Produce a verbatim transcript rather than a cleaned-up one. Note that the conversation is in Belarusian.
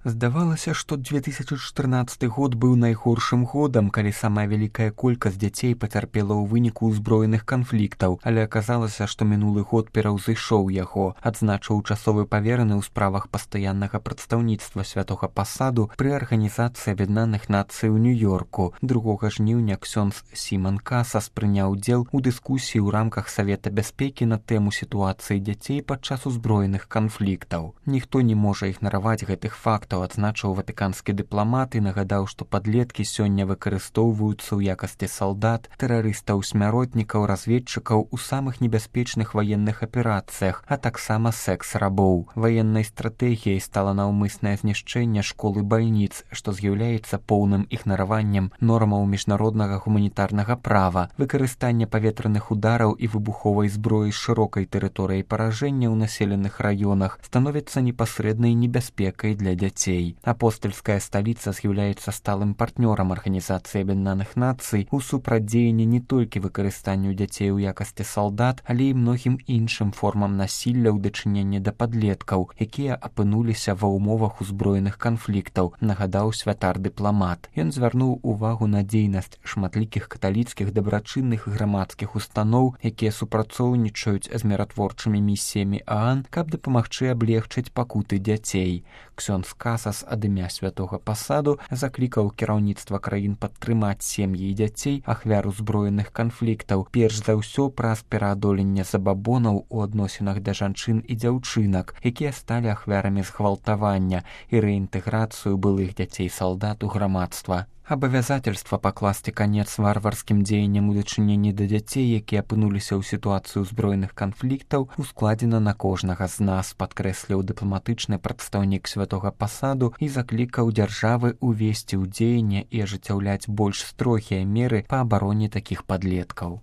Здавалася, што две тысячы чатырнаццаты год быў найгоршым годам, калі самая вялікая колькасць дзяцей пацярпела ў выніку ўзброеных канфліктаў, але аказалася, што мінулы год пераўзышоў яго, адзначыў часовы павераны ў справах пастаяннага прадстаўніцтва святога пасаду пры арганізацыі Аб'яднаных Нацый у Нью-Йорку. другога жніўня ксёндз Сіман Касас прыняў удзел у дыскусіі ў рамках Савета бяспекі на тэму сітуацыі дзяцей падчас узброеных канфліктаў. Ніхто не можа ігнараваць гэтых фактаў, адзначыў ватыканскі дыпламат і нагадаў, што падлеткі сёння выкарыстоўваюцца ў якасці салдат, тэрарыстаў, смяротнікаў, разведчыкаў у самых небяспечных ваенных аперацыях, а таксама секс-рабоў. Ваеннай стратэгіяй стала наўмыснае знішчэнне школ і бальніц, што з'яўляецца поўным ігнараваннем нормаў міжнароднага гуманітарнага права, выкарыстанне паветраных удараў і выбуховай зброі з шырокай тэрыторыяй паражэння ў населеных раёнах становіцца непасрэднай небяспекай для дзяцей. Апостальская сталіца з'яўляецца сталым партнёрам Арганізацыі Аб'яднаных Нацый у супрацьдзеянні не толькі выкарыстанню дзяцей у якасці салдат, але і многім іншым формам насілля ў дачыненні да падлеткаў, якія апынуліся ва ўмовах узброеных канфліктаў, нагадаў святар-дыпламат. Ён звярнуў увагу на дзейнасць шматлікіх каталіцкіх дабрачынных грамадскіх устаноў, якія супрацоўнічаюць з міратворчымі місіямі ААН, каб дапамагчы аблегчыць пакуты дзяцей. Ксёндз Касас ад імя святога пасаду заклікаў кіраўніцтва краін падтрымаць сем'і і дзяцей ахвяр узброеных канфліктаў, перш за ўсё праз пераадоленне забабонаў у адносінах да жанчын і дзяўчынак, якія сталі ахвярамі згвалтавання, і рэінтэграцыю былых дзяцей-салдат у грамадства. Абавязательства пакласці канец варварскім дзеянням у дачыненні да дзяцей, якія апынуліся ў сітуацыі ўзброеных канфліктаў, ускладзена на кожнага з нас, падкрэсліў дыпламатычны прадстаўнік святога пасаду і заклікаў дзяржавы ўвесці ў дзеянне і ажыццяўляць больш строгія меры па абароне такіх падлеткаў.